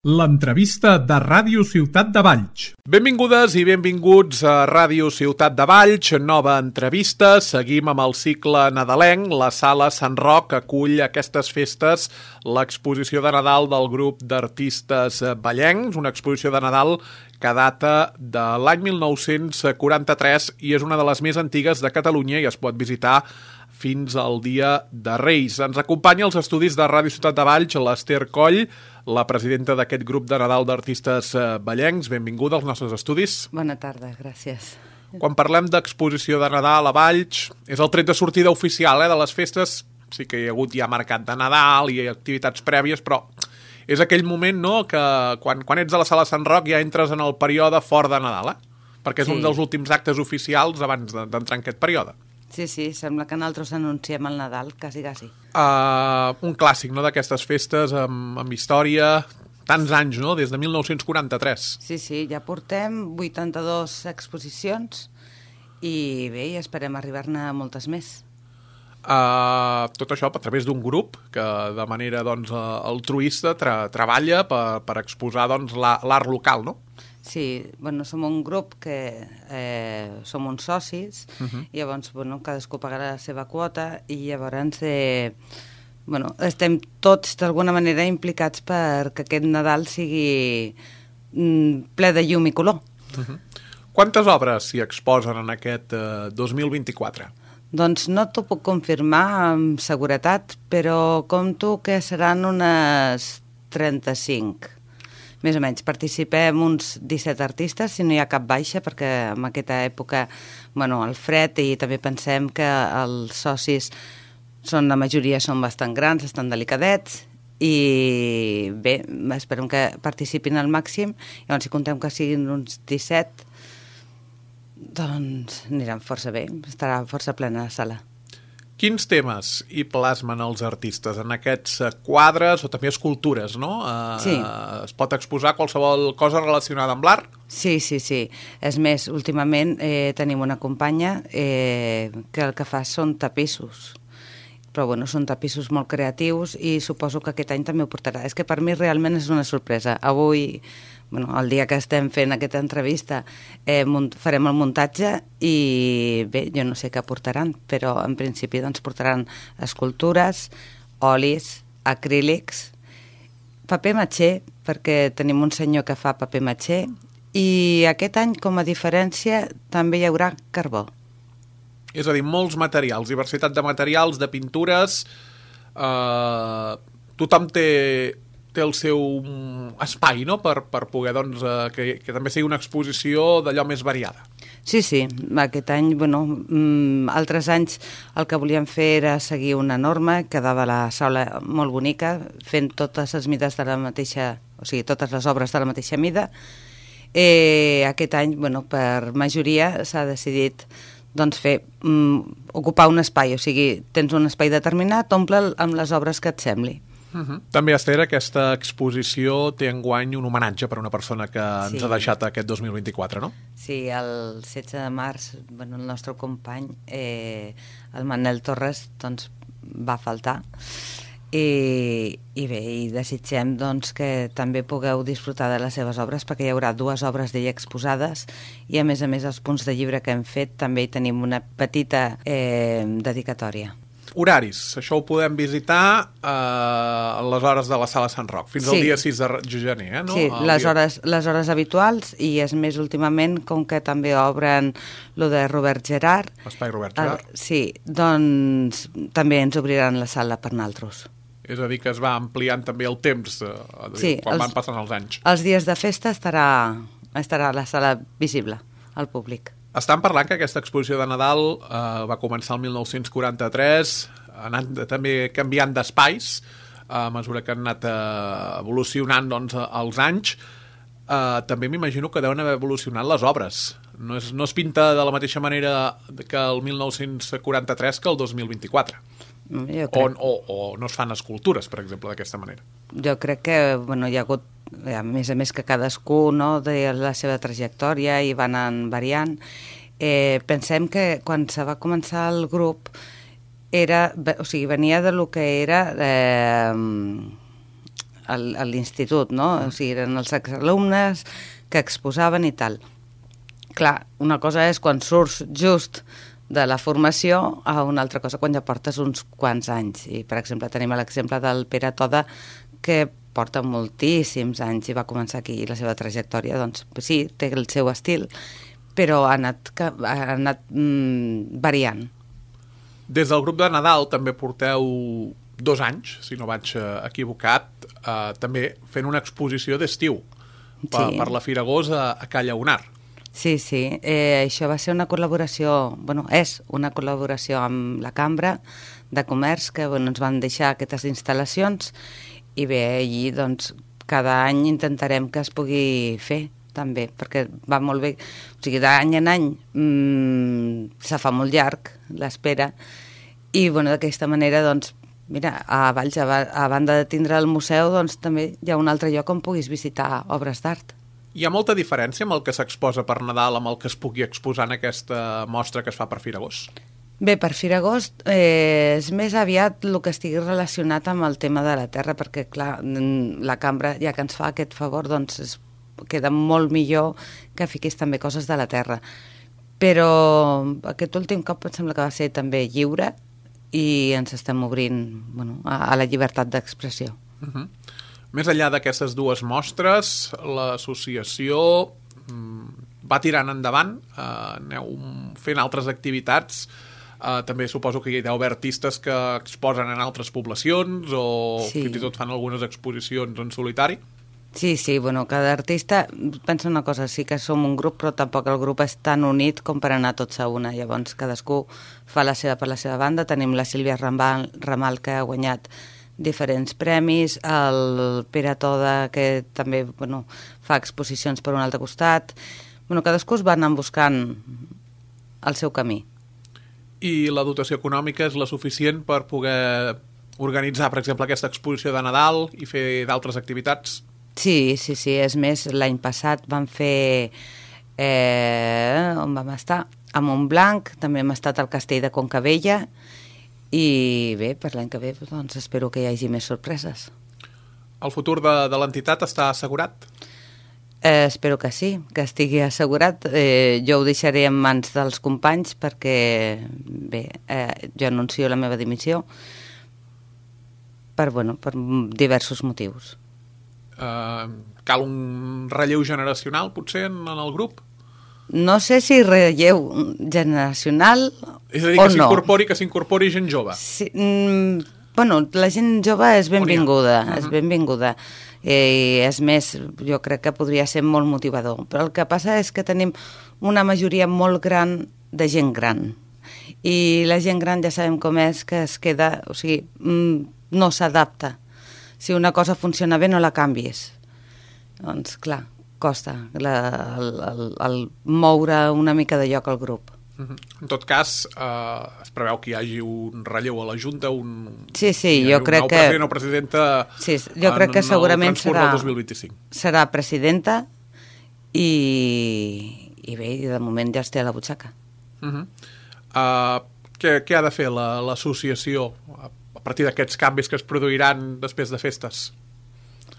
L'entrevista de Ràdio Ciutat de Valls. Benvingudes i benvinguts a Ràdio Ciutat de Valls, nova entrevista. Seguim amb el cicle nadalenc. La Sala Sant Roc acull aquestes festes l'exposició de Nadal del grup d'artistes vallencs, una exposició de Nadal que data de l'any 1943 i és una de les més antigues de Catalunya i es pot visitar fins al dia de Reis. Ens acompanya als estudis de Ràdio Ciutat de Valls l'Ester Coll, la presidenta d'aquest grup de Nadal d'artistes vallencs. Benvinguda als nostres estudis. Bona tarda, gràcies. Quan parlem d'exposició de Nadal a Valls, és el tret de sortida oficial de les festes. Sí que hi ha hagut ja mercat de Nadal i activitats prèvies, però és aquell moment que quan ets a la Sala Sant Roc ja entres en el període fort de Nadal, perquè és un dels últims actes oficials abans d'entrar en aquest període. Sí, sembla que nosaltres anunciem el Nadal, quasi. Un clàssic, d'aquestes festes amb història, tants anys, des de 1943. Sí, ja portem 82 exposicions i bé, esperem arribar-ne a moltes més. Tot això a través d'un grup que de manera altruista treballa per exposar l'art local, no? Sí, som un grup que som uns socis, i llavors cadascú pagarà la seva quota i llavors estem tots d'alguna manera implicats perquè aquest Nadal sigui ple de llum i color. Quantes obres s'hi exposen en aquest 2024? Doncs no t'ho puc confirmar amb seguretat, però compto que seran unes 35. Més o menys. Participem uns 17 artistes, si no hi ha cap baixa, perquè en aquesta època, el fred, i també pensem que els socis la majoria són bastant grans, estan delicadets, i bé, esperem que participin al màxim. Llavors, si contem que siguin uns 17, doncs aniran força bé, estarà força plena la sala. Quins temes hi plasmen els artistes en aquests quadres o també escultures, no? Sí. Es pot exposar qualsevol cosa relacionada amb l'art? Sí. És més, últimament tenim una companya que el que fa són tapissos. Però són tapissos molt creatius i suposo que aquest any també ho portarà. És que per mi realment és una sorpresa. Avui, el dia que estem fent aquesta entrevista, farem el muntatge i bé, jo no sé què portaran, però en principi portaran escultures, olis, acrílics, paper matxer, perquè tenim un senyor que fa paper matxer, i aquest any, com a diferència, també hi haurà carbó. És a dir, molts materials, diversitat de materials, de pintures. Tothom té el seu espai, no?, per poder, que també sigui una exposició d'allò més variada. Sí, aquest any, altres anys el que volíem fer era seguir una norma, quedava la sala molt bonica, fent totes les mides de la mateixa, o sigui, totes les obres de la mateixa mida. Aquest any, per majoria, s'ha decidit ocupar un espai, o sigui, tens un espai determinat, omple'l amb les obres que et sembli. També, Ester, aquesta exposició té enguany un homenatge per a una persona que ens ha deixat aquest 2024, no? Sí, el 16 de març, el nostre company, el Manel Torres, va faltar. I bé, desitgem que també pugueu disfrutar de les seves obres, perquè hi haurà 2 obres d'ell exposades i a més els punts de llibre que hem fet també hi tenim una petita dedicatòria. Horaris, això ho podem visitar a les hores de la Sala Sant Roc, fins al dia 6 de gener, no? Sí, les hores habituals, i és més últimament, com que també obren lo de Robert Gerard. L'espai Robert Gerard. Sí, doncs també ens obriran la sala per naltros. És a dir, que es va ampliant també el temps quan van passant els anys. Els dies de festa estarà la sala visible al públic. Estan parlant que aquesta exposició de Nadal va començar el 1943, ha anat també canviant d'espais a mesura que han anat evolucionant els anys. També m'imagino que deuen haver evolucionat les obres. No es pinta de la mateixa manera que el 1943 que el 2024. O no es fan escultures, per exemple, d'aquesta manera. Jo crec que hi ha hagut, a més que cadascú de la seva trajectòria i van anant variant. Pensem que quan se va començar el grup venia de lo que era a l'institut, no? O sigui, eren els exalumnes que exposaven i tal. Clar, una cosa és quan surts just de la formació a una altra cosa quan ja portes uns quants anys. I, per exemple, tenim l'exemple del Pere Toda, que porta moltíssims anys i va començar aquí la seva trajectòria. Doncs sí, té el seu estil, però ha anat variant. Des del grup de Nadal també porteu 2 anys, si no vaig equivocat, també fent una exposició d'estiu per la Firagós a Ca Llagonar. Sí, això va ser una col·laboració, és una col·laboració amb la Cambra de Comerç, que ens van deixar aquestes instal·lacions, i bé, allí doncs cada any intentarem que es pugui fer també, perquè va molt bé, o sigui, d'any en any se fa molt llarg l'espera, i d'aquesta manera doncs mira, a Valls, a banda de tindre el museu, doncs també hi ha un altre lloc on puguis visitar obres d'art. Hi ha molta diferència amb el que s'exposa per Nadal amb el que es pugui exposar en aquesta mostra que es fa per Firagós? Bé, per Firagós és més aviat el que estigui relacionat amb el tema de la terra, perquè, clar, la Cambra, ja que ens fa aquest favor, doncs queda molt millor que fiquis també coses de la terra. Però aquest últim cop em sembla que va ser també lliure i ens estem obrint a la llibertat d'expressió. Més enllà d'aquestes 2 mostres, l'associació va tirant endavant, aneu fent altres activitats, també suposo que hi deu haver artistes que exposen en altres poblacions o fins i tot fan algunes exposicions en solitari. Sí, cada artista pensa una cosa, sí que som un grup, però tampoc el grup és tan unit com per anar tots a una. Llavors cadascú fa la seva per la seva banda. Tenim la Sílvia Ramal, que ha guanyat diferents premis, el Pere Toda, que també fa exposicions per un altre costat. Cadascú es va anar buscant el seu camí. I la dotació econòmica és la suficient per poder organitzar, per exemple, aquesta exposició de Nadal i fer d'altres activitats? Sí, és més, l'any passat vam fer... on vam estar? A Montblanc, també hem estat al Castell de Concabella, i bé, per l'any que ve doncs espero que hi hagi més sorpreses. El futur de l'entitat està assegurat? Espero que sí, que estigui assegurat. Jo ho deixaré en mans dels companys perquè, bé, jo anuncio la meva dimissió per diversos motius. Cal un relleu generacional, potser, en el grup? No sé si relleu generacional o no. És a dir, que s'incorpori gent jove. Sí, la gent jove és benvinguda, és benvinguda. És més, jo crec que podria ser molt motivador. Però el que passa és que tenim una majoria molt gran de gent gran. I la gent gran ja sabem com és, que es queda, o sigui, no s'adapta. Si una cosa funciona bé, no la canvies. Doncs, clar, costa el moure una mica de lloc al grup. En tot cas, es preveu que hi hagi un relleu a la Junta, sí, jo crec que... president o presidenta jo crec que segurament serà presidenta i bé, de moment ja es té a la butxaca. Què ha de fer l'associació a partir d'aquests canvis que es produiran després de festes?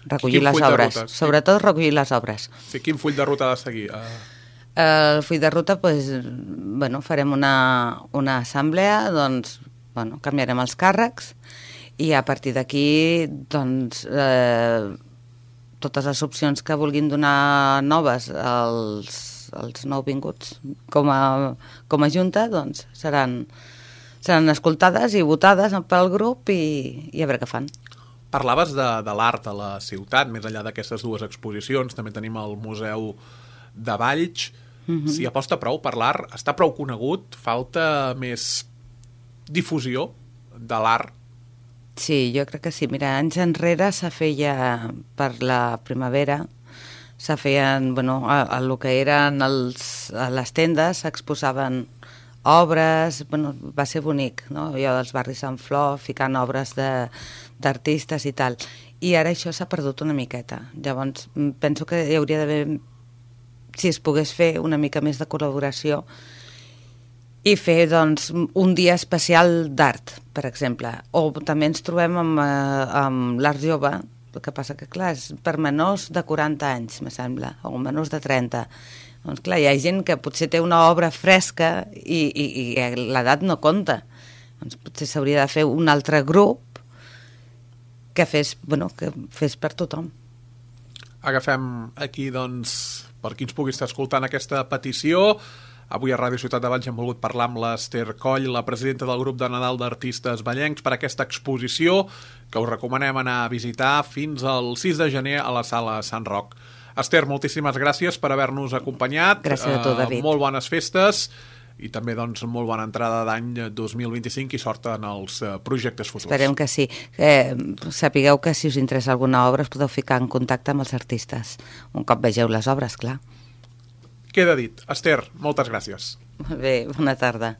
Recollir les obres, sobretot recollir les obres. Sí, quin full de ruta ha de seguir? El full de ruta, farem una assemblea, canviarem els càrrecs i a partir d'aquí, totes les opcions que vulguin donar noves als nouvinguts com a junta, seran escoltades i votades pel grup i a veure què fan. Parlaves de l'art a la ciutat, més enllà d'aquestes 2 exposicions, també tenim el Museu de Valls. Si aposta prou per l'art, està prou conegut, falta més difusió de l'art? Sí, jo crec que sí. Mira, anys enrere se feia per la primavera, se feien, el que eren a les tendes, s'exposaven obres, va ser bonic, no? Jo dels barris Sant Flor, ficant obres d'artistes i tal. I ara això s'ha perdut una miqueta. Llavors, penso que hi hauria d'haver, si es pogués fer una mica més de col·laboració i fer, un dia especial d'art, per exemple. O també ens trobem amb l'art jove El que passa que, clar, és per menors de 40 anys, me sembla, o menors de 30. Doncs, clar, hi ha gent que potser té una obra fresca i l'edat no compta. Doncs potser s'hauria de fer un altre grup que fes per tothom. Agafem aquí, doncs, per qui ens pugui estar escoltant aquesta petició. Avui a Ràdio Ciutat de Valls hem volgut parlar amb l'Ester Coll, la presidenta del grup de Nadal d'Artistes Vallencs, per aquesta exposició que us recomanem anar a visitar fins al 6 de gener a la Sala Sant Roc. Ester, moltíssimes gràcies per haver-nos acompanyat. Gràcies a tu, David. Molt bones festes i també, doncs, molt bona entrada d'any 2025 i sort en els projectes futurs. Esperem que sí. Sapigueu que si us interessa alguna obra us podeu ficar en contacte amb els artistes. Un cop vegeu les obres, clar. Queda dit. Ester, moltes gràcies. Molt bé, bona tarda.